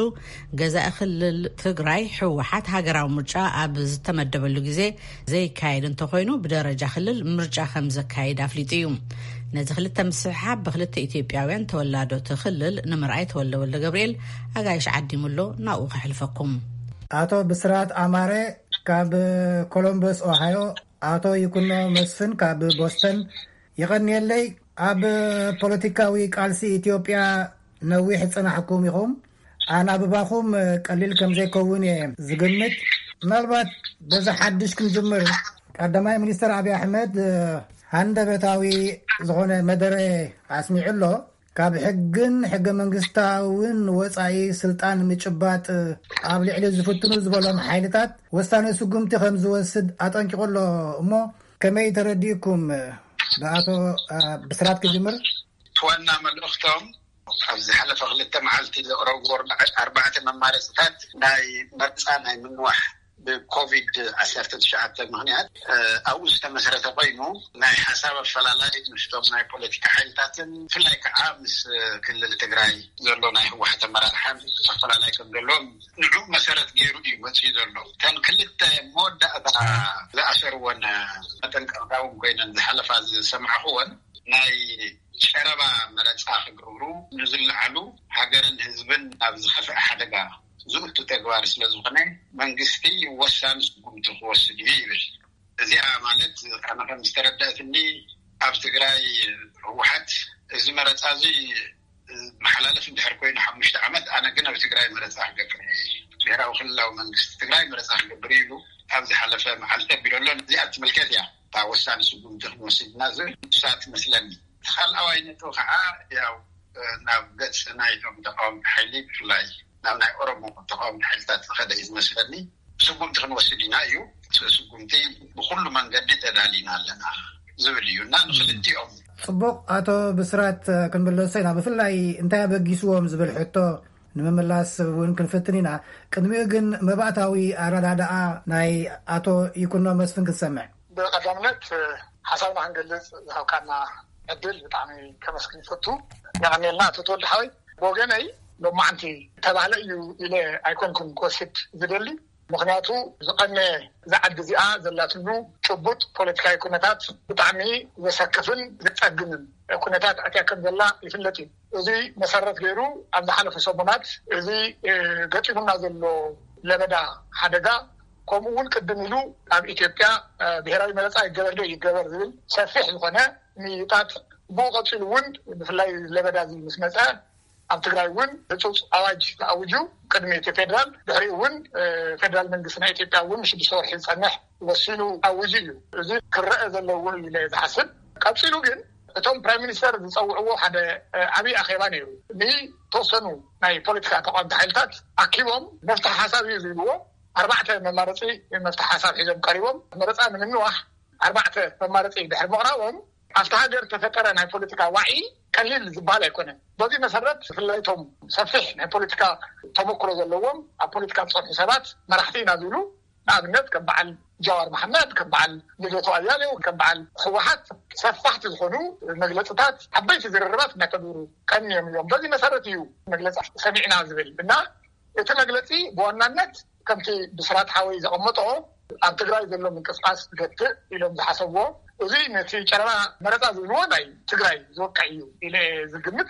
ገዛኢ ክልል ትግራይ ህወሓት ሃገራዊ ምርጫ ኣብ ዝተመደበሉ ግዜ ዘይካየድ እንተኾይኑ፣ ብደረጃ ክልል ምርጫ ከም ዘካይድ ኣፍሊጡ እዩ። ነዚ ክልተ ምስሕሓብ ብክልተ ኢትዮጵያውያን ተወላዶ እቲ ክልል ንምርኣይ ተወልደ ወልደ ገብርኤል ኣጋይሽ ዓዲሙሎ፣ ናብኡ ከሕልፈኩም። ኣቶ ብስራት ኣማረ ካብ ኮሎምበስ ኦሃዮ፣ ኣቶ ይኩኖ መስፍን ካብ ቦስተን፣ የቐንየለይ። ኣብ ፖለቲካዊ ቃልሲ ኢትዮጵያ ነዊሕ ዝጸናሕኩም ኢኹም። ኣናብባኹም ቀሊል ከም ዘይከውን እየ ዝግምት። ምናልባት በዚ ሓድሽ ክንጅምር፣ ቀዳማይ ሚኒስትር ኣብይ ኣሕመድ ሃንደበታዊ ዝኾነ መደረ ኣስሚዑ ኣሎ። ካብ ሕግን ሕገ መንግስታውን ወጻኢ ስልጣን ምጭባጥ ኣብ ልዕሊ ዝፍትኑ ዝበሎም ሓይልታት ወሳኒ ስጉምቲ ከም ዝወስድ ኣጠንቂቑ ኣሎ። እሞ ከመይ ተረዲእኩም? ብኣቶ፣ አ፣ ብስራት ክጅምር። እቲ ዋና መልእኽቶም ኣብ ዝሓለፈ ክልተ መዓልቲ ዘቕረብዎ ኣርባዕ-፣ ኣርባዕተ መማረፅታት ናይ መርፃ ናይ ምንዋሕ ብኮቪድ ዓሰርተ ትሽዓተ ምኽንያት፣ እ፣ ኣብኡ ዝተመስረተ ኮይኑ፣ ናይ ሓሳብ ኣፈላላይ ምስቶም ናይ ፖለቲካ ሓይልታትን ብፍላይ ከዓ ምስ ክልል ትግራይ ዘሎ ናይ ህወሓት ኣመራርሓን ኣፈላላይ ከም ዘለዎም ንዑ መሰረት ገይሩ እዩ መፅኡ ዘሎ። እተን ክልተ መወዳእታ ዝኣሰርወን መጠንቀቕታ እውን ኮይነን ዝሓለፋ ዝሰማዕኽወን፣ ናይ ጨረባ መረፃ ክገብሩ ንዝለዓሉ ሃገርን ህዝብን ናብ ዝኸፍአ ሓደጋ ዝእቱ ተግባር ስለ ዝኾነ መንግስቲ ወሳኒ ስጉምቲ ክወስድ እዩ ይብል። እዚኣ ማለት ኣነ ከም ዝተረዳእትኒ ኣብ ትግራይ ህወሓት እዚ መረፃ እዚ ዝሓልፍ እንድሕር ኮይኑ ሓሙሽተ ዓመት፣ ኣነ ግን ኣብ ትግራይ መረፃ ክገብር እየ፣ ብሄራዊ ክልላዊ መንግስቲ ትግራይ መረፃ ክገብር ኢሉ ኣብ ዝሓለፈ መዓልቲ ኣቢሉ ኣሎ። እዚኣ ትምልከት እያ እታ ወሳኒ ስጉምቲ ክንወስድና ዝብል ንሳ ትመስለኒ። እቲ ካልኣዋይ ነጥቢ ከዓ ያው ናብ ገፅ ናይቶም ተቃወምቲ ሓይሊ፣ ብፍላይ ናብ ናይ ኦሮሞ ተቃወምቲ ሓይልታት ዝኸደ እዩ ዝመስለኒ። ስጉምቲ ክንወስድ ኢና እዩ። ስጉምቲ ብኩሉ መንገዲ ተዳሊና ኣለና ዝብል እዩ እና ንክልቲኦም። ጽቡቕ። ኣቶ ብስራት፣ ክንምለሶ ኢና። ብፍላይ እንታይ ኣበጊስዎም ዝብል ሕቶ ንምምላስ እውን ክንፍትን ኢና። ቅድሚኡ ግን መባእታዊ ኣረዳድኣ ናይ ኣቶ ይኩኖ መስፍን ክንሰምዕ። ብቐዳምነት ሓሳብና ክንገልጽ ዝሃብካና ዕድል ብጣዕሚ ከመስግን ይፈቱ። የቐንየልና ኣቶ ተወልደ ሓወይ። ብወገነይ ሎማዓንቲ ተባህለ እዩ ኢለ ኣይኮንኩን ክወስድ ዝደሊ። ምኽንያቱ ዝቐነ እዛ ዓዲ እዚኣ ዘላትሉ ጭቡጥ ፖለቲካዊ ኩነታት ብጣዕሚ ዘሰክፍን ዘጸግምን ኩነታት ኣትያ ከም ዘላ ይፍለጥ እዩ። እዚ መሰረት ገይሩ ኣብ ዝሓለፈ ሰሙናት እዚ ገጢሙና ዘሎ ለበዳ ሓደጋ፣ ከምኡ እውን ቅድም ኢሉ ኣብ ኢትዮጵያ ብሄራዊ መረፃ ይገበር ዶ ይገበር ዝብል ሰፊሕ ዝኾነ ምይይጣት፣ ብኡ ቀፂሉ እውን ብፍላይ ለበዳ እዚ ምስ መፀ ኣብ ትግራይ እውን ህፁፅ ኣዋጅ ተኣውጁ። ቅድሚ እቲ ፌደራል፣ ድሕሪኡ እውን ፌደራል መንግስቲ ናይ ኢትዮጵያ እውን ንሽዱሽተ ወርሒ ዝፀንሕ ወሲኑ ኣውጁ እዩ። እዚ ክረአ ዘለዎ እዩ ኢለ ዝሓስብ። ቀፂሉ ግን እቶም ፕራይም ሚኒስተር ዝፀውዕዎ ሓደ ዓብዪ ኣኼባ ነይሩ። ንተወሰኑ ናይ ፖለቲካ ተቃወምቲ ሓይልታት ኣኪቦም መፍትሒ ሓሳብ እዩ ዝብልዎ ኣርባዕተ መማረፂ መፍትሒ ሓሳብ ሒዞም ቀሪቦም። መረፃ ንምንዋሕ ኣርባዕተ መማረፂ ድሕሪ ምቕራቦም ኣብቲ ሃገር ተፈጠረ ናይ ፖለቲካ ዋዒ ቀሊል ዝበሃል ኣይኮነን። በዚ መሰረት ብፍላይ እቶም ሰፊሕ ናይ ፖለቲካ ተመክሮ ዘለዎም ኣብ ፖለቲካ ዝፀንሑ ሰባት መራሕቲ ኢና ዝብሉ፣ ንኣብነት ከም በዓል ጃዋር መሓመድ፣ ከም በዓል ልደቱ ኣያሌው፣ ከም በዓል ህወሓት ሰፋሕቲ ዝኾኑ መግለፅታት፣ ዓበይቲ ዝርርባት እናተገብሩ ቀንዮም እዮም። በዚ መሰረት እዩ መግለፂ ሰሚዕና ዝብል እና እቲ መግለፂ ብዋናነት ከምቲ ብስራት ሓወይ ዘቐመጦ ኣብ ትግራይ ዘሎ ምንቅስቃስ ገትእ ኢሎም ዝሓሰብዎ፣ እዚ ነቲ ጨረባ መረፃ ዝብልዎ ናይ ትግራይ ዝወቅዕ እዩ ኢለ ዝግምት።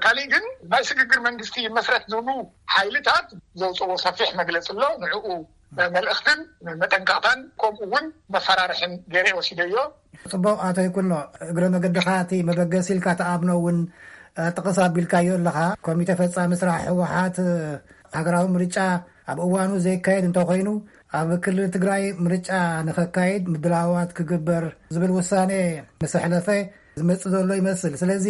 ካሊእ ግን ናይ ስግግር መንግስቲ ይመስረት ዝብሉ ሓይልታት ዘውፅዎ ሰፊሕ መግለፂ ኣሎ። ንዕኡ መልእኽትን መጠንቀቕታን ከምኡ እውን መፈራርሕን ገይረ ወሲደዮ። ጽቡቕ። ኣቶ ይኩኖ፣ እግረ መገድኻ እቲ መበገሲ ኢልካ ተኣምኖ እውን ጥቕስ ኣቢልካዮ ኣለኻ። ኮሚተ ፈጻሚ ስራሕ ህወሓት ሃገራዊ ምርጫ ኣብ እዋኑ ዘይካየድ እንተኾይኑ ኣብ ክልል ትግራይ ምርጫ ንኸካይድ ምድላዋት ክግበር ዝብል ውሳኔ ምስ ኣሕለፈ ዝመጽእ ዘሎ ይመስል። ስለዚ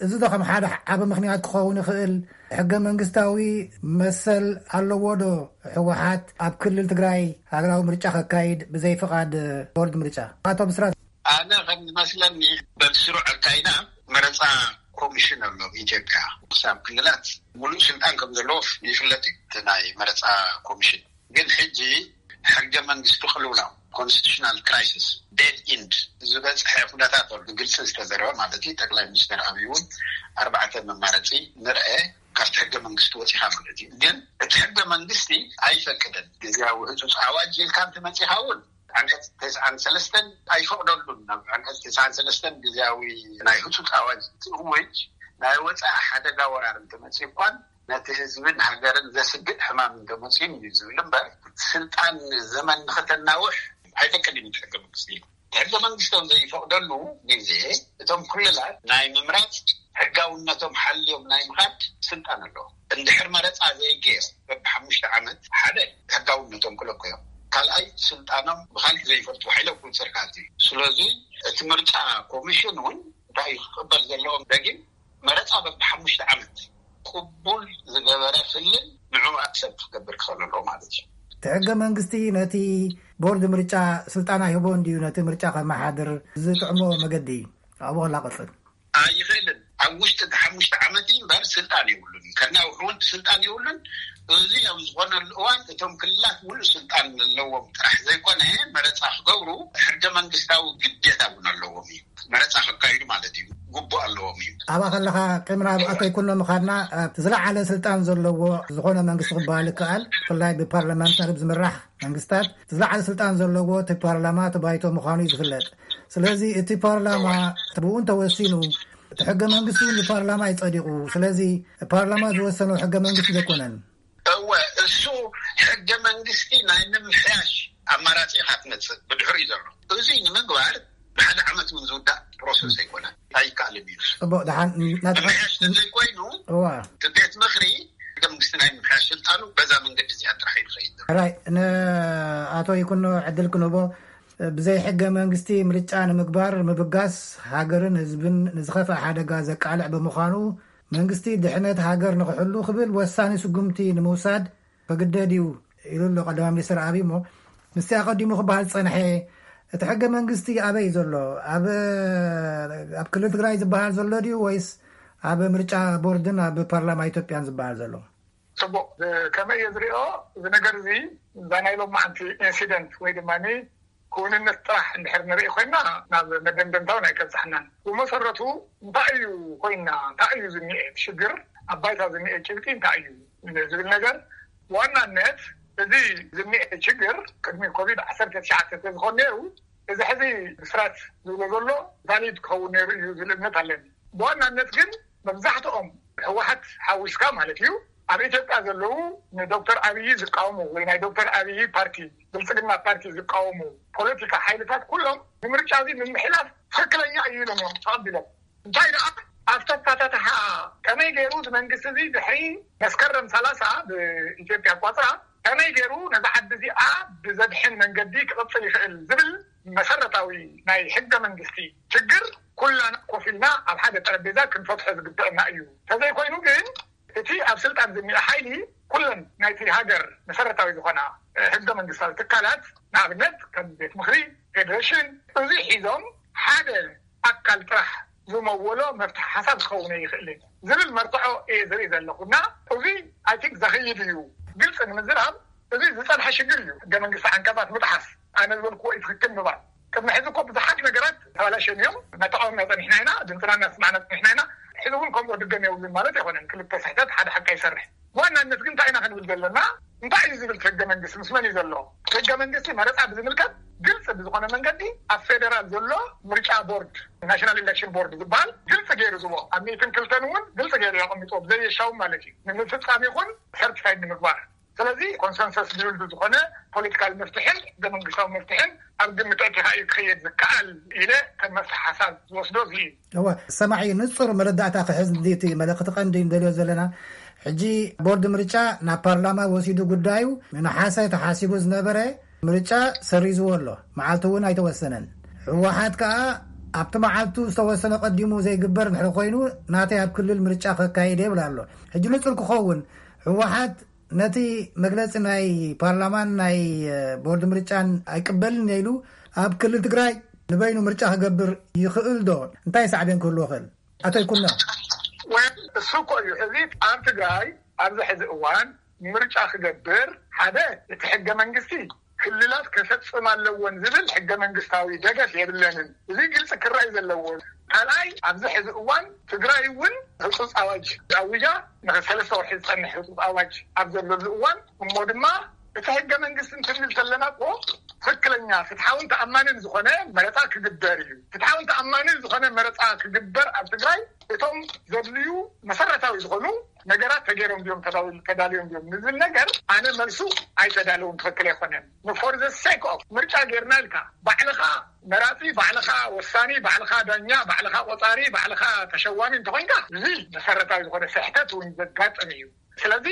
እዚ ዶ ከም ሓደ ዓቢ ምኽንያት ክኸውን ይኽእል? ሕገ መንግስታዊ መሰል ኣለዎ ዶ ህወሓት ኣብ ክልል ትግራይ ሃገራዊ ምርጫ ከካይድ ብዘይ ፍቓድ ቦርድ ምርጫ? ኣቶ ብስራት። ኣነ ከም ዝመስለኒ በቲ ስሩዕ ኣካይዳ መረፃ ኮሚሽን ኣሎ ኣብ ኢትዮጵያ። ክሳብ ክልላት ሙሉእ ስልጣን ከም ዘለዎ ይፍለጥ እዩ እቲ ናይ መረፃ ኮሚሽን። ግን ሕጂ ሕገ መንግስቲ ቅልውላው፣ ኮንስቲቱሽናል ክራይሲስ፣ ዴድ ኢንድ ዝበፅሐ ኩነታት ኣሎ። ብግልፂ ዝተዘረበ ማለት እዩ። ጠቅላይ ሚኒስትር ኣብይ እውን ኣርባዕተ መማረፂ ንርአ ካብቲ ሕገ መንግስቲ ወፂኻ ማለት እዩ። ግን እቲ ሕገ መንግስቲ ኣይፈቅድን። ግዜያዊ ህፁፅ ኣዋጅ ኢልካ እንትመፂኻ እውን ዓንቀፅ ተስዓን ሰለስተን ኣይፈቅደሉን። ናብ ዓንቀፅ ተስዓን ሰለስተን ግዜያዊ ናይ ህፁፅ ኣዋጅ እንትእውጅ ናይ ወፃኢ ሓደጋ ወራር እንትመፅእ እኳን ነቲ ህዝብን ሃገርን ዘስግእ ሕማም እንተመፅኡን እዩ ዝብል እምበር፣ ስልጣን ዘመን ንክተናውሕ ኣይፈቅድን እዩ ሕገ መንግስቲ። ሕገ መንግስቶም ዘይፈቅደሉ ግዜ እቶም ክልላት ናይ ምምራፅ ሕጋውነቶም ሓልዮም ናይ ምኻድ ስልጣን ኣለዎ። እንድሕር መረፃ ዘይገይሩ በብሓሙሽተ ዓመት ሓደ ሕጋውነቶም ክለቁ እዮም። ካልኣይ ስልጣኖም ብካልእ ዘይፈልጡ ሓይለ ክውፅር ካቲ። ስለዚ እቲ ምርጫ ኮሚሽን እውን እንታይ እዩ ክቅበል ዘለዎም? ደጊም መረፃ በብሓሙሽተ ዓመት ቅቡል ዝገበረ ክልል ንዑ ኣክሰፕት ክገብር ክኽእል ኣለዎ ማለት እዩ። እቲ ሕገ መንግስቲ ነቲ ቦርድ ምርጫ ስልጣን ኣይህቦ እንድዩ ነቲ ምርጫ ከመሓድር ዝጥዕሞ መገዲ? ኣብኡ ከላ ቀፅል። ኣይኽእልን። ኣብ ውሽጢ እቲ ሓሙሽተ ዓመት እዩ እምበር ስልጣን የብሉን እዩ። ከናውሕ እውን ስልጣን የብሉን። እዚ ኣብ ዝኾነሉ እዋን እቶም ክልላት ሙሉእ ስልጣን ኣለዎም ጥራሕ ዘይኮነ መረፃ ክገብሩ ሕገ መንግስታዊ ግዴታ እውን ኣለዎም እዩ። መረፃ ከካይዱ ማለት እዩ። ግቡእ ኣለዎም እዩ። ኣብኣ ከለኻ ቅድሚ ናብ ኣቶ ይኩኖ ምኻድና እቲ ዝለዓለ ስልጣን ዘለዎ ዝኾነ መንግስቲ ክበሃል ይከኣል። ብፍላይ ብፓርላመንታሪ ዝምራሕ መንግስታት እቲ ዝለዓለ ስልጣን ዘለዎ እቲ ፓርላማ እቲ ባይቶ ምዃኑ እዩ ዝፍለጥ። ስለዚ እቲ ፓርላማ ብኡ እንተወሲኑ እቲ ሕገ መንግስቲ እውን ብፓርላማ እዩ ጸዲቑ። ስለዚ ፓርላማ ዝወሰኖ ሕገ መንግስቲ ዘይኮነን። እወ፣ እሱ ሕገ መንግስቲ ናይ ምምሕያሽ ኣማራጺ ኢኻ ትመጽእ ብድሕሪኡ ዘሎ። እዚ ንምግባር ብሓደ ዓመት እውን ዝውዳእ ፕሮሰስ ኣይኮነን፣ ኣይከኣልን እዩ። ጽቡቕ፣ ደሓን ናትኻ ምምሕያሽ ተዘይኮይኑ እዋ። እቲ ቤት ምኽሪ ሕገ መንግስቲ ናይ ምምሕያሽ ስልጣኑ በዛ መንገዲ እዚኣ ጥራሕ እዩ ዝኸይድ ዘሎ። ራይ፣ ንኣቶ ይኩኖ ዕድል ክንህቦ፣ ብዘይ ሕገ መንግስቲ ምርጫ ንምግባር ምብጋስ ሃገርን ህዝብን ንዝኸፍአ ሓደጋ ዘቃልዕ ብምዃኑ፣ መንግስቲ ድሕነት ሃገር ንኽሕሉ ክብል ወሳኒ ስጉምቲ ንምውሳድ ክግደድ እዩ ኢሉ ኣሎ ቀዳማይ ሚኒስትር ኣብይ። እሞ ምስቲ ኣቐዲሙ ክበሃል ዝጸንሐ፣ እቲ ሕገ መንግስቲ ኣበይ እዩ ዘሎ? ኣብ፣ ኣብ ክልል ትግራይ ዝበሃል ዘሎ ድዩ ወይስ ኣብ ምርጫ ቦርድን ኣብ ፓርላማ ኢትዮጵያን ዝበሃል ዘሎ? ጽቡቕ። ከመይ እየ ዝሪኦ? እዚ ነገር እዚ፣ እዛ ናይ ሎማዓንቲ ኢንሲደንት ወይ ድማ ክውንነት ጥራሕ እንድሕር ንርኢ ኮይና፣ ናብ መደምደምታውን ኣይከብጽሓናን። ብመሰረቱ እንታይ እዩ ኮይና፣ እንታይ እዩ ዝኒኤ ሽግር፣ ኣብ ባይታ ዝኒኤ ጭብጢ እንታይ እዩ ዝብል ነገር፣ ብዋናነት እዚ ዝኒኤ ሽግር ቅድሚ ኮቪድ ዓሰርተ ትሽዓተ ተዝኾን ነይሩ፣ እዚ ሕዚ ብስራት ዝብሎ ዘሎ ቫሊድ ክኸውን ነይሩ እዩ ዝብል እምነት ኣለኒ። ብዋናነት ግን መብዛሕትኦም ህወሓት ሓዊስካ ማለት እዩ፣ ኣብ ኢትዮጵያ ዘለዉ ንዶክተር ኣብይ ዝቃወሙ ወይ ናይ ዶክተር ኣብይ ፓርቲ፣ ብልጽግና ፓርቲ ዝቃወሙ ፖለቲካ ሓይልታት ኩሎም ንምርጫ እዚ ምምሕላፍ ትኽክለኛ እዩ ኢሎም እዮም ተቐቢሎም። እንታይ ደኣ ኣብቲ ኣፈታትሓ ከመይ ገይሩ እዚ መንግስቲ እዚ ድሕሪ መስከረም ሰላሳ ብኢትዮጵያ ኣቋጽራ ከመይ ገይሩ ነዛ ዓዲ እዚኣ ብዘድሕን መንገዲ ክቕጽል ይኽእል ዝብል መሰረታዊ ናይ ሕገ መንግስቲ ችግር ኩላና ኮፍ ኢልና ኣብ ሓደ ጠረጴዛ ክንፈትሖ ዝግበአና እዩ። ተዘይኮይኑ ግን እቲ ኣብ ስልጣን ዝኒአ ሓይሊ ኩለን ናይቲ ሃገር መሰረታዊ ዝኾና፣ እ፣ ሕገ መንግስታዊ ትካላት፣ ንኣብነት ከም ቤት ምኽሪ፣ ፌዴሬሽን፣ እዚ ሒዞም ሓደ ኣካል ጥራሕ ዝመወሎ መፍትሒ ሓሳብ ክኸውን ኣይኽእልን ዝብል መርትዖ እየ ዝርኢ ዘለኹ። እና እዚ፣ ኣይ ቲንክ፣ ዘኽይድ እዩ። ግልፂ ንምዝራብ፣ እዚ ዝፀንሐ ሽግር እዩ። ሕገ መንግስቲ ዓንቀፃት ምጥሓስ፣ ኣነ ዝበልክዎ እዩ ትኽክል ምባል። ቅድሚ ሕዚ እኮ ብዙሓት ነገራት ተባላሸን እዮም። እናተቃወምና ፀኒሕና ኢና፣ ድምፅና እናስማዕና ፀኒሕና ኢና። ሕዚ እውን ከምኡ ድገም የብሉን ማለት ኣይኮነን። ክልተ ስሕተት ሓደ ሓቂ ይሰርሕ። ብዋናነት ግን እንታይ ኢና ክንብል ዘለና? እንታይ እዩ ዝብል እቲ ሕገ መንግስቲ? ምስ መን እዩ ዘሎ? ሕገ መንግስቲ መረፃ ብዝምልከት ግልፂ ብዝኾነ መንገዲ ኣብ ፌደራል ዘሎ ምርጫ ቦርድ፣ ናሽናል ኢሌክሽን ቦርድ ዝበሃል ግልፂ ገይሩ ዝቦ ኣብ ሚእትን ክልተን እውን ግልፂ ገይሩ የቐሚጦ፣ ብዘየሻውም ማለት እዩ፣ ንምፍፃም ይኹን ሰርቲፋይድ ንምግባር። ስለዚ ኮንሰንሰስ ቢውልድ ዝኾነ ፖለቲካል መፍትሕን ሕገ መንግስታዊ መፍትሕን ኣብ ግምት ኣእቲኻ እዩ ክኸየድ ዝከኣል ኢለ ከም መፍትሒ ሓሳብ ዝወስዶ እዚ እዩ። እወ፣ ሰማዒ፣ ንጹር መረዳእታ ክሕዝ እንዲ እቲ መልእኽቲ ቀንዲ ንደልዮ ዘለና። ሕጂ ቦርድ ምርጫ ናብ ፓርላማ ወሲዱ ጉዳዩ፣ ንነሓሰ ተሓሲቡ ዝነበረ ምርጫ ሰሪዝዎ ኣሎ። መዓልቲ እውን ኣይተወሰነን። ህወሓት ከኣ ኣብቲ መዓልቱ ዝተወሰነ ቀዲሙ ዘይግበር እንድሕር ኮይኑ ናተይ ኣብ ክልል ምርጫ ከካይድ ይብል ኣሎ። ሕጂ ንጹር ክኸውን ህወሓት ነቲ መግለጺ ናይ ፓርላማን ናይ፣ እ፣ ቦርድ ምርጫን ኣይቅበልን ኢሉ ኣብ ክልል ትግራይ ንበይኑ ምርጫ ክገብር ይኽእል ዶ? እንታይ ሳዕቤን ክህልዎ ይኽእል? ኣቶ ይኩኖ። ወል፣ እሱ እኮ እዩ። ሕዚ ኣብ ትግራይ ኣብዚ ሕዚ እዋን ምርጫ ክገብር ሓደ እቲ ሕገ መንግስቲ ክልላት ከፈጽም ኣለዎን ዝብል ሕገ መንግስታዊ ደገፍ የብለንን። እዚ ግልፂ ክረኣይ ዘለዎ። ካልኣይ ኣብዚ ሕዚ እዋን ትግራይ እውን ህፁፅ ኣዋጅ ኣዊጃ ንሰለስተ ወርሒ ዝፀንሕ ህፁፅ ኣዋጅ ኣብ ዘለሉ እዋን እሞ ድማ እቲ ሕገ መንግስቲ እንትንብል ዘለና እኮ ትክክለኛ ፍትሓውን ተኣማንን ዝኾነ መረፃ ክግበር እዩ። ፍትሓውን ተኣማንን ዝኾነ መረፃ ክግበር ኣብ ትግራይ እቶም ዘድልዩ መሰረታዊ ዝኾኑ ነገራት ተገይሮም ድዮም ተዳው-፣ ተዳልዮም ድዮም ንዝብል ነገር ኣነ መልሱ ኣይተዳለውን ትክክል ኣይኮነን። For the sake of ምርጫ ጌርና ኢልካ ባዕልኻ መራፂ፣ ባዕልኻ ወሳኒ፣ ባዕልኻ ዳኛ፣ ባዕልኻ ቆፃሪ፣ ባዕልኻ ተሸዋሚ እንተኮይንካ እዚ መሰረታዊ ዝኾነ ስሕተት እውን ዘጋጥም እዩ። ስለዚ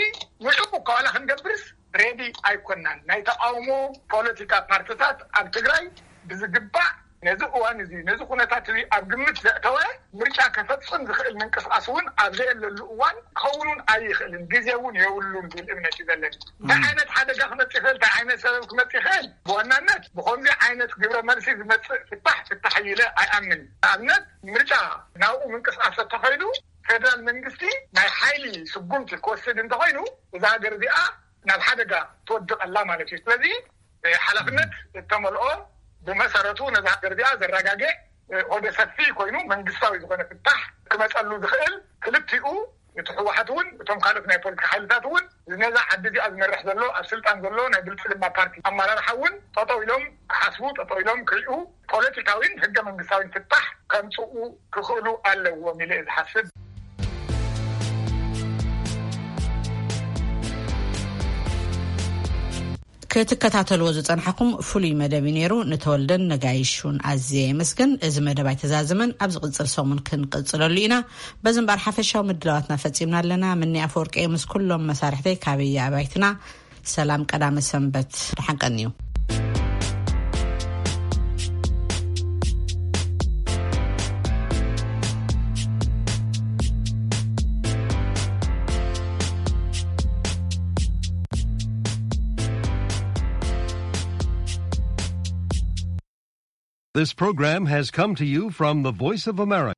ንዕኡ እኳ ዋላ ክንገብርስ ሬዲ ኣይኮናን። ናይ ተቃውሞ ፖለቲካ ፓርትታት ኣብ ትግራይ ብዝግባእ ነዚ እዋን እዚ ነዚ ኩነታት እዚ ኣብ ግምት ዘእተወ ምርጫ ከፈፅም ዝኽእል ምንቅስቃስ እውን ኣብ ዘየለሉ እዋን ክኸውን እውን ኣይኽእልን፣ ግዜ እውን የብሉን ዝብል እምነት እዩ ዘለኒ። እንታይ ዓይነት ሓደጋ ክመፅእ ይኽእል፣ እንታይ ዓይነት ሰበብ ክመፅእ ይኽእል፣ ብዋናነት ብኸምዚ ዓይነት ግብረ መልሲ ዝመፅእ ፍታሕ ፍታሕ ኢለ ኣይኣምን። ንኣብነት ምርጫ ናብኡ ምንቅስቃስ ተተኸይዱ ፌደራል መንግስቲ ናይ ሓይሊ ስጉምቲ ክወስድ እንተኾይኑ እዛ ሃገር እዚኣ ናብ ሓደጋ ትወድቕ ኣላ ማለት እዩ። ስለዚ፣ እ፣ ሓላፍነት እተመልኦ ብመሰረቱ ነዛ ሃገር እዚኣ ዘረጋግዕ፣ እ፣ ሆደ ሰፊ ኮይኑ መንግስታዊ ዝኾነ ፍታሕ ክመፀሉ ዝኽእል ክልቲኡ እቲ ህወሓት እውን እቶም ካልኦት ናይ ፖለቲካ ሓይልታት እውን ነዛ ዓዲ እዚኣ ዝመርሕ ዘሎ ኣብ ስልጣን ዘሎ ናይ ብልፅግና ፓርቲ ኣመራርሓ እውን ጠጠው ኢሎም ክሓስቡ፣ ጠጠው ኢሎም ክሪኡ፣ ፖለቲካዊን ሕገ መንግስታዊን ፍታሕ ከምፅኡ ክኽእሉ ኣለዎም ኢለ እየ ዝሓስብ። ክትከታተልዎ ዝጸናሕኩም ፍሉይ መደብ እዩ ነይሩ። ንተወልደን ነጋይሹን ኣዝየ የመስግን። እዚ መደብ ኣይተዛዘመን፣ ኣብ ዝቕጽል ሰሙን ክንቅጽለሉ ኢና። በዚ እምበኣር ሓፈሻዊ ምድላዋትና ፈጺምና ኣለና። ምኒ ኣፈወርቂ ምስ ኩሎም መሳርሕተይ ካበየ ኣባይትና ሰላም ቀዳመ ሰንበት። ደሓን ቀንዩ። This program has come to you from the Voice of America.